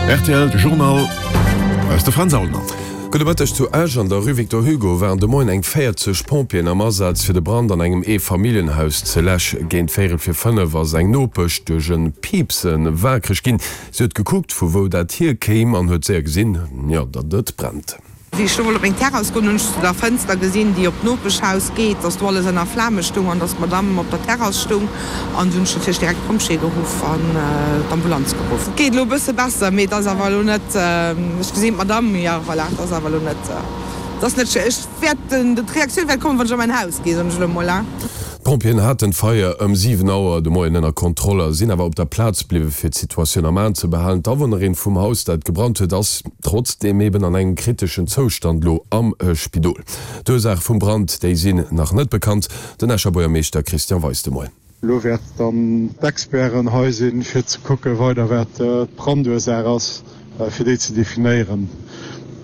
Rtl Journal aus de Fränz Aulner. Gudde Mëtteg, Zu Esch an der Rue Victor Hugo waren de Moien eng 40 Pompjeeën am Asaz fir de Brand an engem Eefamilljenhaus ze läschen. Géint véierel fir 5 ass eng Nopesch duerch e Piipse waakreg ginn. Si huet gekuckt vu wou dat hier kéim an huet séier gesinn, jo, datt et brennt. Wéi ech do wollt op meng Terrass goen, hunn ech zu der Fënster gesinn, déi op d'Nopeschhaus geet, dass do alles ënner Flame stung an dass d'Madame op der Terrass stung. An du hunn ech natierlech direkt d'Pompjeeë geruff an d'Ambulanz geruff. Et geet elo e bësse besser, mee et ass awer elo net, ech gesinn d'Madame, jo voilà, et ass awer elo net, et ass net schéin. Ech wäert, d'Reaktioun wäert kommen, wann ech a mäin Haus ginn, soen ech elo emol. D'Pompjeeën haten d'Feier ëm 7 Auer de Moien ënner Kontroll a sinn awer op der Plaz bliwwe fir d'Situatioun am Aen ze behalen. D'Awunnerin vum Haus, dat gebrannt huet, ass trotzdeem eben an engem kriteschen Zoustand elo am Spidol. D'Ursaache vum Brand, déi sinn nach net bekannt. Den Escher Buergermeeschter Christian Weis de Moien. Elo wäerten dann d'Experten hei sinn, fir ze kucken, weider wat d'Brandursaach ass, fir déi ze definéieren.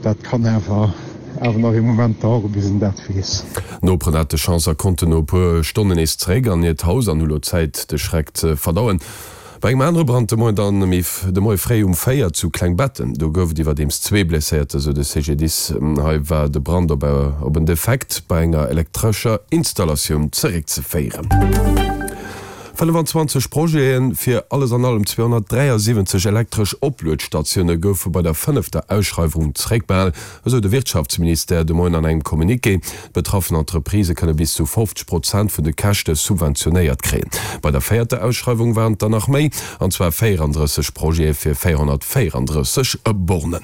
Dat kann awer awer nach ee Moment daueren, bis een dat weess. D'Noperen hate Chance a konnten no e puer Stonnen nees zeréck an hiert Haus an hu lo Zäit, de Schreck ze verdauen. Bei engem anere Brand de Moien dann méi de Moie fréi um 4 zu Klengbetten, do gouf et iwwerdeems zwee Blesséierter, sou de CGDIS. Hei war de Brand op op en Defekt bei enger elektrescher Installatioun zeréckzeféieren. 25 Projete fir alles an allem 273 elektresch Opluetstatioune goufe bei der fënnefter Ausschreiwung zeréckbehal, esou de Wirtschaftsministère de Moien an engem Communiqué. D'betraffen Entreprisë kënne bis zu 50 Prozent vun de Käschte subventionéiert kréien. Bei der véierter Ausschreiwung waren et der nach méi, an zwar 34 Projete fir 434 Bornen.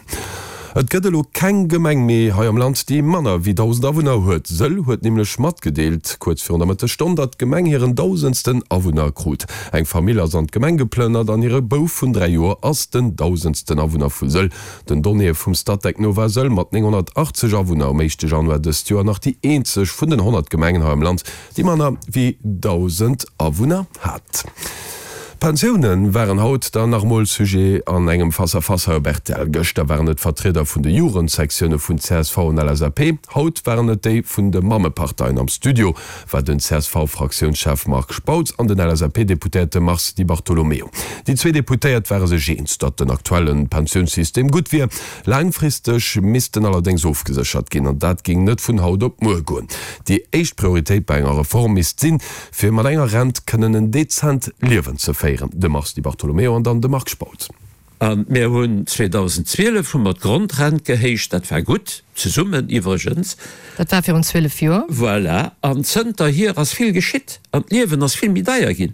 Et gëtt elo keng Gemeng méi hei am Land, déi manner wéi 1.000 Awunner huet. Sëll huet nämlech matgedeelt, kuerz virun der Mëttesstonn, datt d'Gemeng hiren dausendsten Awunner krut. Eng Famill ass an d'Gemeng geplënnert an hire Bouf vun 3 Joer ass den dausendsten Awunner vu Sëll. Den Donnéeë vum Statec no war Sëll mat 980 Awunner um éischte Januar dëst Joer nach déi eenzeg vun den 100 Gemengen hei am Land, déi manner wéi 1.000 Awunner hat. D'Pensioune waren haut dann nach emol Sujet an engem Face-à-face hei op rtl. Gëschter waren et d'Vertrieder vun de Jugendsektioune vun csv an LSAP, haut waren et déi vun de Mammeparteien. Am Studio war den CSV-Fraktiounschef Marc Spautz an den LSAP-Deputéierte Mars Di Bartolomeo. Déi zwee Deputéiert ware sech eens, datt den aktuelle Pensiounssystem gutt wier. Laangfristeg misst en allerdéngs ofgeséchert ginn, an dat géing net vun haut op muer goen. Déi éischt Prioritéit bei enger Reform misst sinn, fir mat enger Rent kënnen en dezent Liewen ze féieren. De Mars Di Bartolomeo an dann de Marc Spautz. A mir hunn 2012 hu mer d'Grondrent gehéicht, dat war gutt, zesummen iwwregens. Dat war virun 12 Joer. Voilà. An zënterhier ass vill geschitt an d'Liewen ass vill méi deier ginn.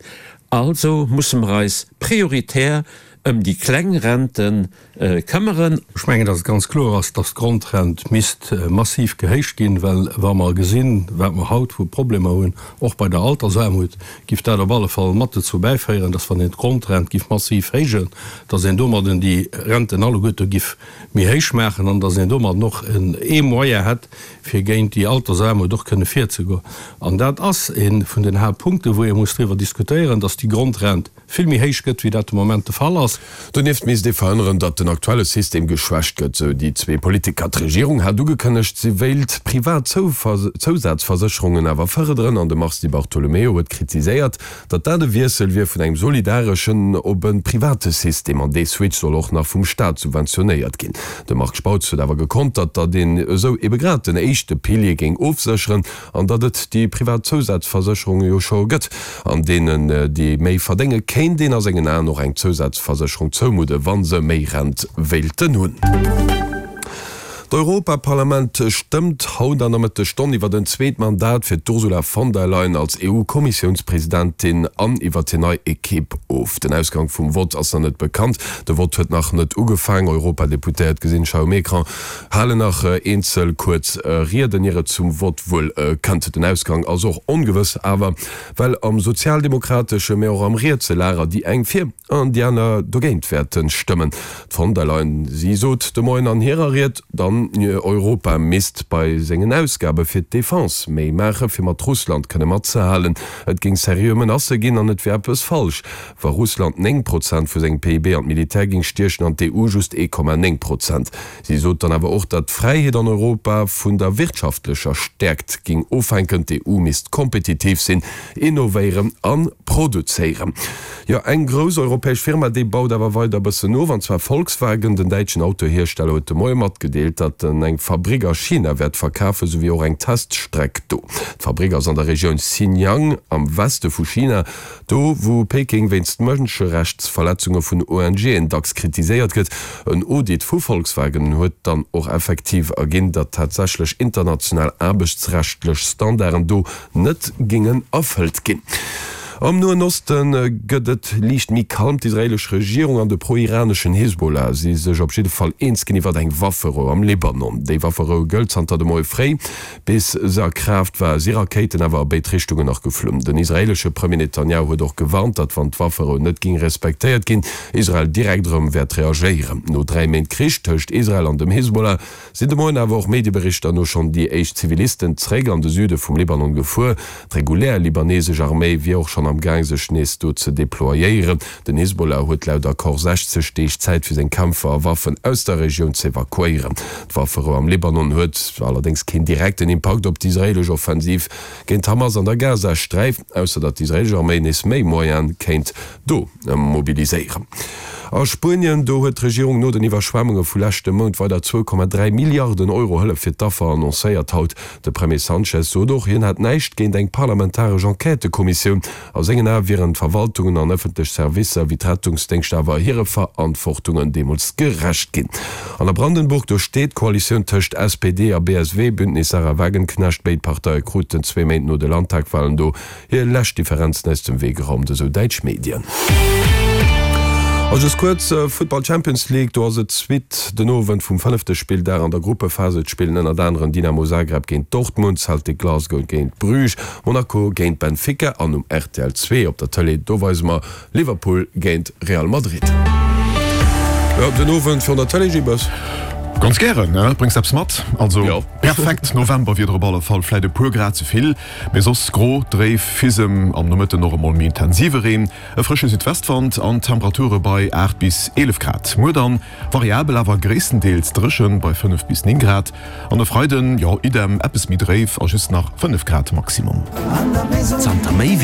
Also musse mer eis prioritär ëm déi kleng Rente këmmeren. Ech mengen, dass et ganz kloer ass, dass d'Grondrent misst massiv gehéicht ginn, well wa mer gesinn, wat mer haut vu Problemer hunn, och bei der Altersaarmut, giff dat op alle Fall mat dozou bäiféieren, dass wann een d'Grondrent giff massiv héijen, dass een domadden déi Renten alleguerte giff méi héich maachen an dass een domadden och ee Moyen hätt, fir géint déi Altersaarmut och kënne virzegoen. An dat ass ee vun den Haaptpunkten, wou ee muss driwwer diskutéieren, dass déi Grondrent vill méi héich gëtt, wéi dat de Moment de Fall ass. Donieft misst ee verhënneren, datt den aktuelle System geschwächt gëtt, sou déi zwee Politiker. D'Regierung hat ugekënnegt, si wéilt privat Zousazversécherungen awer fërderen an de Mars Di Bartolomeo huet kritiséiert, datt dat e Wiessel wier vun engem solidareschen op e private System an dee Switch soll och nach vum Staat subventionéiert ginn. De Marc Spautz huet awer gekontert, datt een esou ebe grad den éischte Pilier géing ofsécheren An datt et déi privat Zousazversécherunge jo scho gëtt, an deenen, déi méi verdénge kéint een a sengen Aen och eng Zousazversécherung zoumudde wa se méi Rent wéilten hunn. D'Europaparlament stëmmt haut an der Mëttesstonn iwwer en zweet Mandat fir d'Ursula von der Leyen als EU-Kommissiounspresidentin an iwwer hir nei Ekipp of. Den Ausgang vum Vott ass nach net bekannt. De Vott huet nach net ugefaang. Europadeputéiert gesinn ech hei um Ecran. Halen nach eenzel kuerz Rieden, ier et zum Vott wuel kënnt. Den Ausgang ass och ongewëss, awer well am sozialdemokratesche, mä och am rietse Lager déi eng fir an déi aner dogéint wäerte stëmmen. D'Von der Leyen, si sot de Moien an hirer Ried dann. An Europa misst bei sengen Ausgabe fir d'Defense méi maache fir mat Russland kënne matzehalen. Et géing seriö Menacë ginn an et wier eppes falsch, wa Russland 9 Prozent vu sengem PIB an d'Militär géing stiechen an d'EU just 1,9 Prozent. Si sot dann awer och, datt d'Fräiheet an Europa vun der wirtschaftlecher Stäerkt géing ofhänken. D'EU misst kompetitiv sinn, innovéieren a produzéieren. Jo, eng grouss europäesch Firma, déi baut awer weider e bëssen of, an zwar Volkswagen. Den däitschen Autohiersteller huet de Moie matgedeelt, datt en eng Fabrick a China wäert verkafen, souwéi och eng Teststreck do. D'Fabrick ass an der Regioun Xinjiang am Weste vu China. Do wou Peking wéinst Mënscherechtsverletzunge vun ONGen dacks kritiséiert gëtt. En Audit vu Volkswagen huet dann och effektiv erginn, datt tatsächlech international aarbechtsrechtlech Standarden do net géingen erfëllt ginn. Am Noen Oste gëtt et liicht méi kalm. D'israeelesch Regierung an de pro-iraneschen Hisbollah si sech op jidde Fall eens ginn iwwer eng Wafferou am Libanon. Déi Wafferou gëllt zanter de Moie fréi. Bis se a Kraaft war, si Rakéiten awer a béid Richtungen nach geflunn. Den israeelesche Premier Netanjahu huet och gewarnt, datt wann d'Wafferou net géing respektéiert ginn, Israel direkt erëm wäert reagéieren. No 3 Méint Krich tëscht Israel an dem Hisbollah sinn de Moien awer och Medieberichter no schonn déi éischt Zivilisten zeréck an de Süde vum Libanon gefuer. D'regulär libanesesch Arméi wier och schonn am Gaang sech nees do ze deployéieren. Den Hisbollah huet laut Accord 60 Deeg Zäit fir seng Kämpfer a Waffen aus der Regioun z'evakuéieren. D'Wafferou am Libanon huet allerdéngs keen direkten Impakt op d'israeelesch Offensiv géint d'Hamas an der Gazasträif, ausser datt d'israeelesch Arméi nees méi Moyene kéint do mobiliséieren. A Spuenien, do huet d'Regierung no den Iwwerschwemmunge vu leschte Mount weider 2,3 Milliarden Euro Hëllef fir d'Affer annoncéiert haut. De Premier Sanchez sot och, hien hätt näischt géint eng parlamentaresch Enquêtëkommissioun. A sengen Ae wieren d'Verwaltungen an ëffentlech Servicer wéi d'Rettungsdéngschter awer hire Verantwortungen deemools gerecht ginn. An a Brandenburg, do steet d'Koalitioun tëscht SPD a BSW, Bündnis Sarah Wagenknecht. Béid Parteie kruten zwee Méint no de Landtagwalen do hir lescht Differenzen aus dem Wee geraumt, esou däitsch Medien. A just kuerz, Futtball Champions League, do ass et d'Suite den Owend vum fënnefte Spilldag an der Gruppephase. Et spillen ënnert aneren Dynamo Zagreb géint Dortmund, Celtic Glasgow géint Bruges, Monaco géint Benfica an um rtl 2 op der Tëlee, do weise mer Liverpool géint Real Madrid. Jo, den Owend virun der Tëlee, Gibes? Ganz gären, ne? Bréngs eppes mat? Also perfekt Novemberwieder op alle Fall, vläit e puer Grad ze vill, mee soss gro, dréif, Fisem, am Nomëtten och emol méi intensive Reen, e frësche Südwestwand an Temperature bei 8 bis 11 Grad. Muer dann Variabel awer gréisstendeels dréchen bei 5 bis 9 Grad an e Freiden, jo idem, eppes méi dréif a just nach 5 Grad Maximum. Zanter méi wéi.